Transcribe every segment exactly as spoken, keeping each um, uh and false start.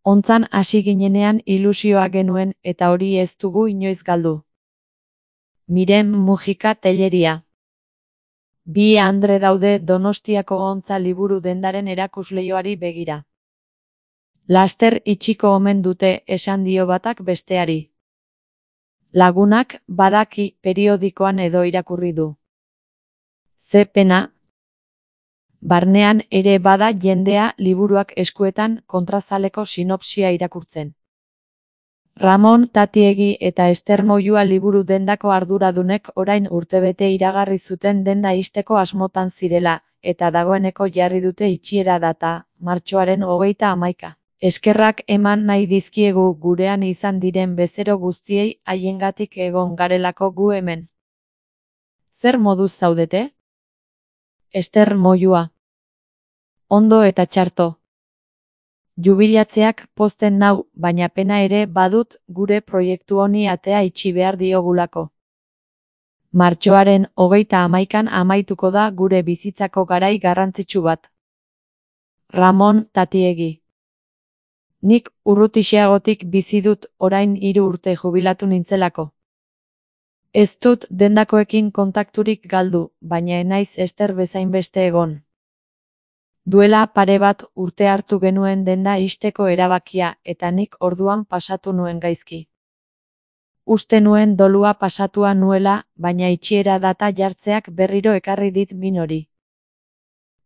Hontzan hasi ginenean ilusioa genuen eta hori ez dugu inoiz galdu. Miren Mujika Telleria. Bi andre daude Donostiako Hontza liburu dendaren erakusleioari begira. Laster itxiko omen dute, esan dio batak besteari. Lagunak, badaki, periodikoan edo irakurri du. Ze pena. Barnean ere bada jendea liburuak eskuetan kontrazaleko sinopsia irakurtzen. Ramon Tatiegi eta Ester Moyua liburu dendako arduradunek orain urtebete iragarri zuten denda ixteko asmotan zirela, eta dagoeneko jarri dute itxiera data, martxoaren hogeita hamaika. Eskerrak eman nahi dizkiegu gurean izan diren bezero guztiei haiengatik egon garelako gu hemen. Zer moduz zaudete? Ester Moyua. Ondo eta txarto. Jubilatzeak pozten nau, baina pena ere badut gure proiektu honi atea itxi behar diogulako. Martxoaren hogeita hamaikan amaituko da gure bizitzako garai garrantzitsu bat. Ramon Tatiegi. Nik urrutixeagotik bizi dut orain hiru urte jubilatu nintzelako. Ez dut dendakoekin kontakturik galdu, baina enaiz Ester bezain beste egon. Duela pare bat urte hartu genuen denda ixteko erabakia eta nik orduan pasatu nuen gaizki. Uste nuen dolua pasatua nuela, baina itxiera data jartzeak berriro ekarri dit min hori.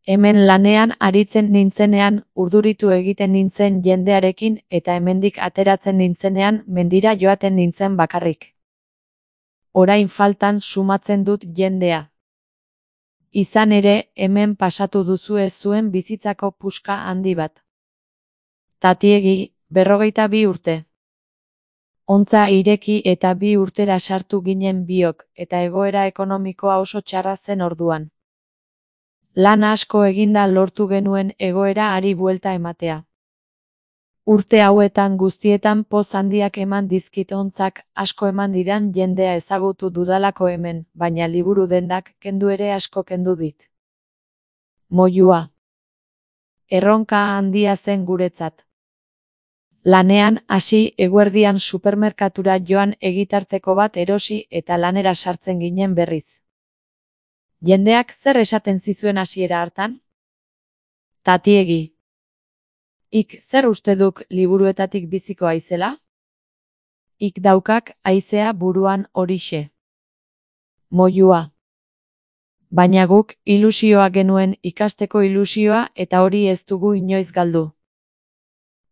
Hemen lanean aritzen nintzenean, urduritu egiten nintzen jendearekin eta hemendik ateratzen nintzenean mendira joaten nintzen bakarrik. Orain faltan sumatzen dut jendea. Izan ere, hemen pasatu duzue zuen bizitzako puska handi bat. Tatiegi, berrogeita bi urte. Hontza ireki eta bi urtera sartu ginen biok, eta egoera ekonomikoa oso txarra zen orduan. Lan asko eginda lortu genuen egoera ari buelta ematea. Urte hauetan guztietan poz handiak eman dizkit hontzak, asko eman didan jendea ezagutu dudalako hemen, baina liburu dendak kendu ere asko kendu dit. Moyua. Erronka handia zen guretzat. Lanean hasi eguerdian supermerkatura joan egitarteko bat erosi eta lanera sartzen ginen berriz. Jendeak zer esaten zizuen hasiera hartan? Tatiegi. Ik zer uste duk liburuetatik biziko aizela? Ik daukak aizea buruan horixe. Moyua. Baina guk ilusioa genuen, ikasteko ilusioa, eta hori ez dugu inoiz galdu.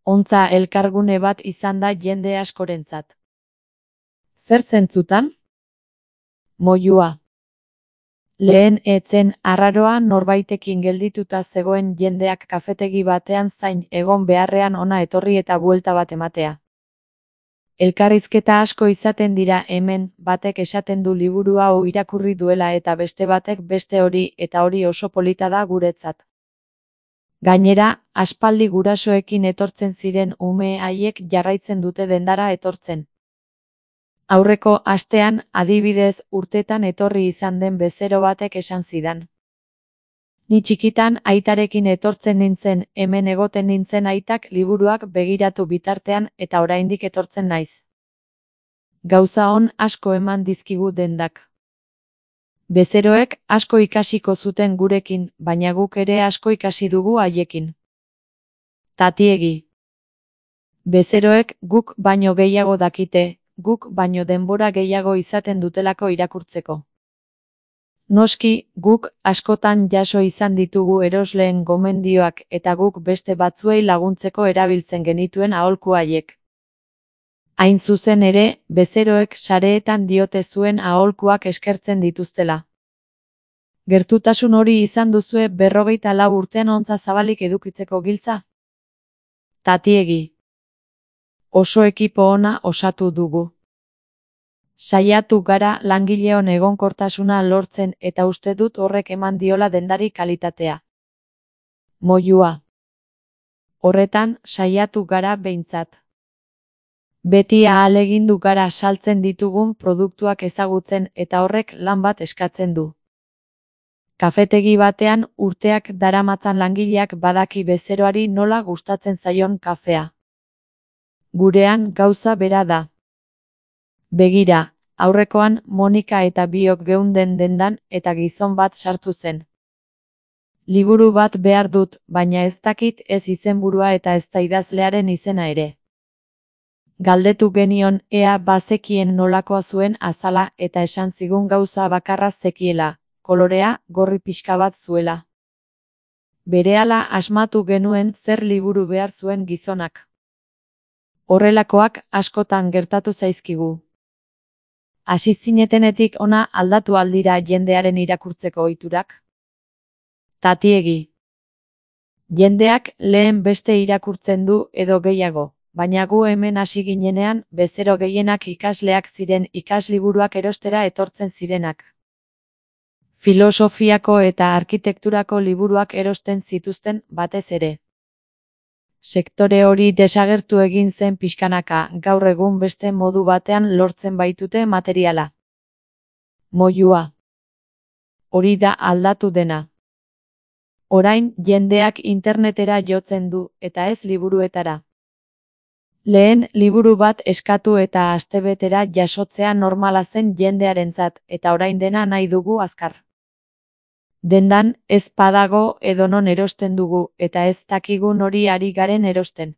Hontza elkargune bat izan da jende askorentzat. Zer zentzutan? Moyua. Lehen etzen arraroa norbaitekin geldituta zegoen jendeak kafetegi batean zain egon beharrean ona etorri eta buelta bat ematea. Elkarrizketa asko izaten dira hemen, batek esaten du liburu hau irakurri duela eta beste batek beste hori, eta hori oso polita da guretzat. Gainera, aspaldi gurasoekin etortzen ziren ume haiek jarraitzen dute dendara etortzen. Aurreko astean, adibidez, urtetan etorri izan den bezero batek esan zidan. Ni txikitan aitarekin etortzen nintzen, hemen egoten nintzen aitak liburuak begiratu bitartean eta oraindik etortzen naiz. Gauza on asko eman dizkigu dendak. Bezeroek asko ikasiko zuten gurekin, baina guk ere asko ikasi dugu haiekin. Tatiegi. Bezeroek guk baino gehiago dakite, guk baino denbora gehiago izaten dutelako irakurtzeko. Noski, guk askotan jaso izan ditugu erosleen gomendioak eta guk beste batzuei laguntzeko erabiltzen genituen aholku haiek. Hain zuzen ere, bezeroek sareetan diote zuen aholkuak eskertzen dituztela. Gertutasun hori izan duzue berrogeita lau urtean hontza zabalik edukitzeko giltza? Tatiegi. Oso ekipo ona osatu dugu. Saiatu gara langileon egonkortasuna lortzen eta uste dut horrek eman diola dendari kalitatea. Moyua. Horretan, saiatu gara behintzat. Beti ahalegindu gara saltzen ditugun produktuak ezagutzen eta horrek lan bat eskatzen du. Kafetegi batean urteak daramatzan langileak badaki bezeroari nola gustatzen zaion kafea. Gurean gauza bera da. Begira, aurrekoan Monika eta biok geunden dendan eta gizon bat sartu zen. Liburu bat behar dut, baina ez dakit ez izenburua eta ez da idazlearen izena ere. Galdetu genion ea bazekien nolakoa zuen azala eta esan zigun gauza bakarra zekiela, kolorea gorri pixka bat zuela. Berehala asmatu genuen zer liburu behar zuen gizonak. Horrelakoak askotan gertatu zaizkigu. Hasi zinetenetik ona aldatu aldira jendearen irakurtzeko ohiturak? Tatiegi. Jendeak lehen beste irakurtzen du edo gehiago, baina gu hemen hasi ginenean bezero gehienak ikasleak ziren ikasliburuak erostera etortzen zirenak. Filosofiako eta arkitekturako liburuak erosten zituzten batez ere. Sektore hori desagertu egin zen pixkanaka, gaur egun beste modu batean lortzen baitute materiala. Moilua. Hori da aldatu dena. Orain jendeak internetera jotzen du, eta ez liburuetara. Lehen liburu bat eskatu eta astebetera jasotzea normala zen jendearentzat, eta orain dena nahi dugu azkar. Dendan ez badago edonon erosten dugu, eta ez dakigun hori ari garen erosten.